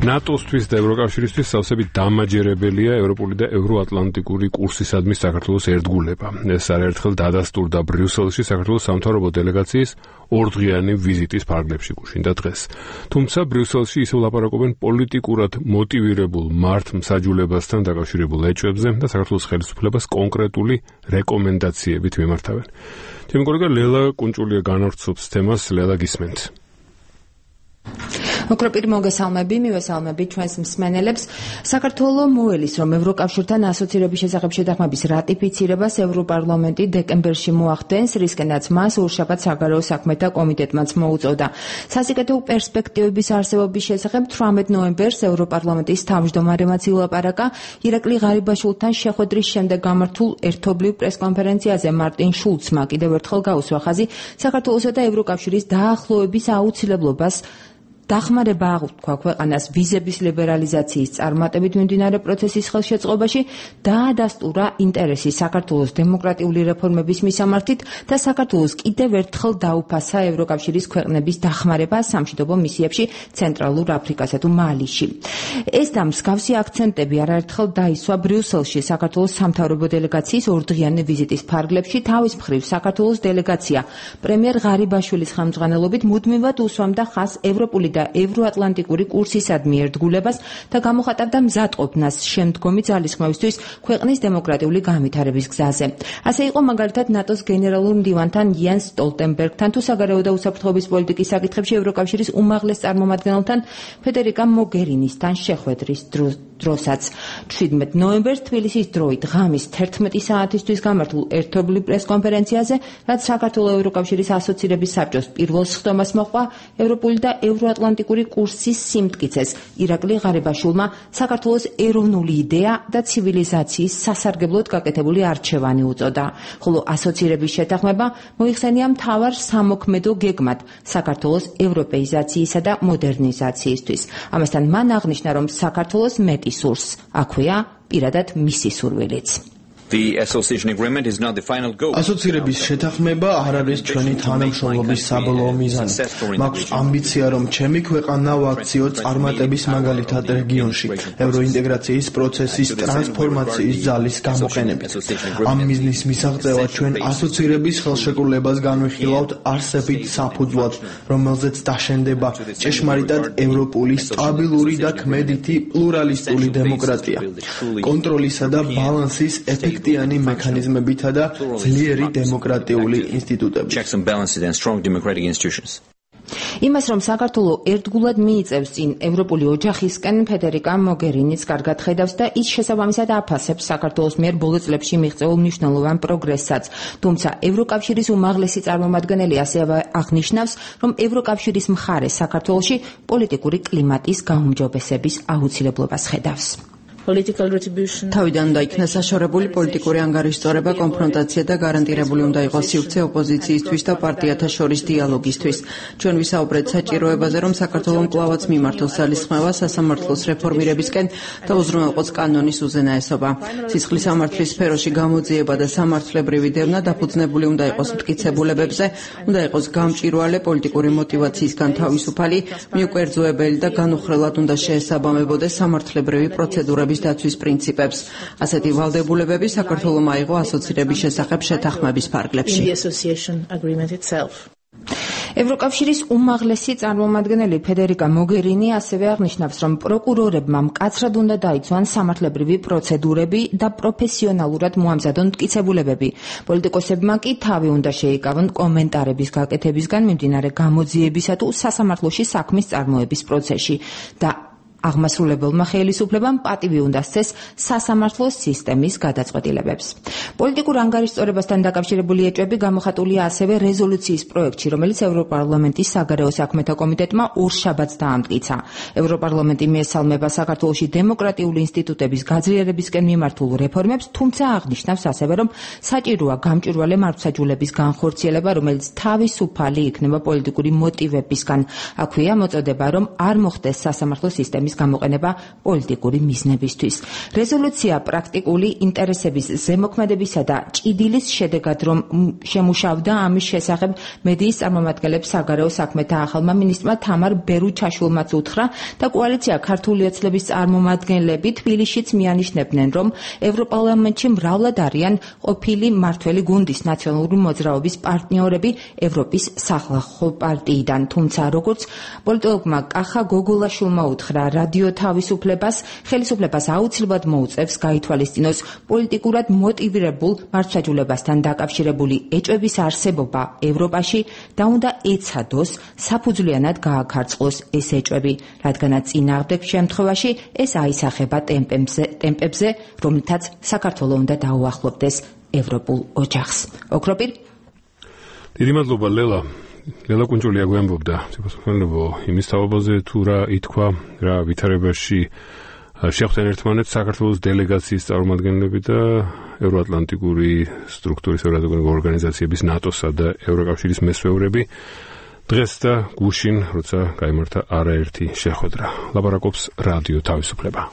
ნატოსთვის და ევროკავშირისთვის სავსებით დამაჯერებელია ევროპული და ევროატლანტიკური კურსისადმი საქართველოს ერთგულება. ეს არაერთხელ დადასტურდა ბრიუსელში საქართველოს სამთავრობო დელეგაციის ორდღიანი ვიზიტის ფარგლებში გუშინდა დღეს. თუმცა ბრიუსელში ისევ ლაპარაკობენ პოლიტიკურად მოტივირებულ მართლმსაჯულებასთან დაკავშირებულ ეჭვებზე და საქართველოს ხელისუფლებას კონკრეტული რეკომენდაციებით მიმართავენ. ჩემი კოლეგა ლელა კუნჭულია განავრცობს თემას. ლელა, გისმენთ. Okropir მოგესალმები, მივესალმებით ჩვენს მსმენელებს. საქართველოს მოელის, რომ ევროკავშირთან ასოცირების შესახებ შეთანხმების რატიფიცირებას ევროპარლამენტი დეკემბერში მოახდენს, რისკენაც მას ორშაბათ საგარეო საქმეთა კომიტეტმაც მოუწოდა. სასიკეთო პერსპექტივების არსებობის შესახებ 18 ნოემბერს ევროპარლამენტის თავმჯდომარემაც ილაპარაკა ირაკლი ღარიბაშვილთან შეხვედრის შემდეგ გამართულ ერთობლივ პრესკონფერენციაზე მარტინ შულცმა კიდევ ერთხელ გაუსვა ხაზი საქართველოსა და ევროკავშირის დაახლოების აუცილებლობას დახმარება აღუთქვა ქვეყანას ვიზების ლიბერალიზაციის წარმატებით მიმდინარე პროცესის ხელშეწყობაში და დაადასტურა ინტერესი საქართველოს დემოკრატიული რეფორმების მისამართით და საქართველოს კიდევ ერთხელ დაუფასა ევროკავშირის ქვეყნების დახმარება სამშვიდობო მისიებში ცენტრალურ აფრიკასა თუ მალიში. ეს და მსგავსი აქცენტები არაერთხელ დაისვა ბრიუსელში საქართველოს სამთავრობო დელეგაციის ორდღიანი ვიზიტის ფარგლებში. თავის მხრივ საქართველოს დელეგაცია პრემიერ ღარიბაშვილის ხელმძღვანელობით მუდმივად უსვამდა ხაზს ევროპული და ევროატლანტიკური კურსისადმი ერთგულებას და გამოხატავდა მზადყოფნას შემდგომი ძალისხმევისთვის ქვეყნის დემოკრატიული განვითარების გზაზე. ასე იყო მაგალითად ნატოს გენერალურ მდივანთან იანს სტოლტენბერგთან თუ საგარეო და უსაფრთხოების პოლიტიკის საკითხებში ევროკავშირის უმაღლეს წარმომადგენელთან ფედერიკა მოგერინისთან შეხვედრის დროსაც. 17 ნოემბერს თბილისის დროით ღამის 11 საათისთვის გამართულ ერთობლივ პრესკონფერენციაზე, რაც საქართველოს ევროკავშირის ასოცირების საბჭოს პირველ სხდომას მოჰყვა, ევროპული და ევროატლანტიკური კურსის სიმტკიცეს ირაკლი ღარიბაშვილმა საქართველოს ეროვნული იდეა და ცივილიზაციის სასარგებლოდ გაკეთებული არჩევანი უწოდა, ხოლო ასოცირების შეთანხმება მოიხსენია მთავარ სამოქმედო გეგმად საქართველოს ევროპეიზაციისა და მოდერნიზაციისთვის. ამასთან მან აღნიშნა, რომ საქართველოს მეტი სურს, აქვეა პირადად მისი სურვილიც. ასოცირების შეთანხმება არ არის ჩვენი თანამშრომლობის საბოლოო მიზანი. მაქვს ამბიცია, რომ ჩემი ქვეყანა ვაქციო წარმატების მაგალითად რეგიონში, ევროინტეგრაციის პროცესის ტრანსფორმაციის ძალის გამოყენებით. ამ მიზნის მისაღწევად ჩვენ ასოცირების ხელშეკრულებას განვიხილავთ არსებით საფუძვლად, რომელზეც დაშენდება ჭეშმარიტად ევროპული, სტაბილური და ქმედითი პლურალისტული დემოკრატია, კონტროლისა და ბალანსის ეფექტიანი მექანიზმებითა და ძლიერი დემოკრატიული ინსტიტუტებით. იმას, რომ საქართველოს ერთგულად მიიწევს წინ ევროპული ოჯახისკენ, ფედერიკა მოგერინიც კარგად ხედავს და ის შესაბამისად აფასებს საქართველოს მიერ ბოლო წლებში მიღწეულ მნიშვნელოვან პროგრესსაც. თუმცა ევროკავშირის უმაღლესი წარმომადგენელი ასევე აღნიშნავს, რომ ევროკავშირის მხარე საქართველოში პოლიტიკური კლიმატის გაუმჯობესების აუცილებლობას ხედავს. თავიდან დაიქნა საშორებული პოლიტიკური ანგარიშწორება, კონფრონტაცია და გარანტირებული უნდა იყოს სივრცე ოპოზიციისთვის და პარტიათა შორის დიალოგისთვის. ჩვენ ვისაუბრეთ საჭიროებაზე, რომ საქართველოს მკლავაც მიმართოს ძალისხმევა სასამართლოს რეფორმირებისკენ და უზრუნველყოს კანონის უზენაესობა. სისხლის სამართლის სფეროში გამოძიება და სამართლებრივი დევნა დაფუძნებული უნდა იყოს მტკიცებულებებზე, უნდა იყოს გამჭვირვალე პოლიტიკური მოტივაციისგან თავისუფალი, მიუკერძოებელი და განუხრელად უნდა შეესაბამებოდეს სამართლებრივი პროცედურების დაცვის პრინციპებს. ასეთი ვალდებულებები საქართველოს აიღო ასოცირების შესახებ შეთანხმების ფარგლებში. ევროკავშირის უმაღლესი წარმომადგენელი ფედერიკა მოგერინი ასევე აღნიშნავს, რომ პროკურორებმა მკაცრად უნდა დაიცვან სამართლებრივი პროცედურები და პროფესიონალურად მოამზადონ მტკიცებულებები. პოლიტიკოსებმა კი თავი უნდა შეიკავონ კომენტარების გაკეთებისგან მიმდინარე გამოძიებისა თუ სასამართლოში საქმის წარმოების პროცესში და აღმასრულებელმა ხელისუფლებამ პატივი უნდა სცეს სასამართლოს სისტემის გადაწყვეტილებებს. პოლიტიკურ ანგარიშწორებასთან დაკავშირებული ეჭვები გამოხატულია ასევე რეზოლუციის პროექტში, რომელიც ევროპარლამენტის საგარეო საქმეთა კომიტეტმა ორშაბათს დაამტკიცა. ევროპარლამენტი მიესალმება საქართველოში დემოკრატიული ინსტიტუტების გაძლიერებისკენ მიმართულ რეფორმებს, თუმცა აღნიშნავს ასევე, რომ საჭიროა გამჭვირვალე მართლმსაჯულების განხორციელება, რომელიც თავისუფალი იქნება პოლიტიკური მოტივებისგან. აქვეა მოწოდება, რომ არ მოხდეს სასამართლო სისტემის გამოყენება პოლიტიკური მიზნებისთვის. რეზოლუცია პრაქტიკული ინტერესების ზემოქმედებისა და ჭიდილის შედეგად რომ შემუშავდა ამის შესახებ მედიის წარმომადგენლებს საგარეო საქმეთა ახალმა მინისტრმა თამარ ბერუჩაშვილმაც უთხრა და კოალიცია ქართული ოცნების წარმომადგენლები თბილისშიც მიანიშნებდნენ, რომ ევროპარლამენტში მრავლად არიან ყოფილი მმართველი გუნდის ნაციონალური მოძრაობის პარტნიორები ევროპის სახალხო პარტიიდან. თუმცა როგორც პოლიტოლოგმა კახა გოგოლაშვილმა უთხრა რადიო თავისუფლებას, ხელისუფლებას აუცილებლად მოუწევს გაითვალისწინოს პოლიტიკურად მოტივირებულ მართლმსაჯულებასთან დაკავშირებული ეჭვების არსებობა ევროპაში და უნდა ეცადოს საფუძვლიანად გააქარწყლოს ეს ეჭვები, რადგანაც წინააღმდეგ შემთხვევაში ეს აისახება ტემპებზე, რომლითაც საქართველო უნდა დაუახლოვდეს ევროპულ ოჯახს. ოქროპირ. დიდი მადლობა ლელა. ლელა კუნჭულია გვემბობდა სიყვარულო იმის თავაზე თუ რა ითქვა რა ვითარებაში შეხვდნენ ერთმანეთს საქართველოს დელეგაციის წარმომადგენლები და ევროატლანტიკური სტრუქტურის ევროატლანტიკური ორგანიზაციების ნატოსა და ევროკავშირის მესვეურები დღეს და გუშინ როცა გაიმართა არაერთი შეხვედრა. ლაპარაკობს რადიო თავისუფლება.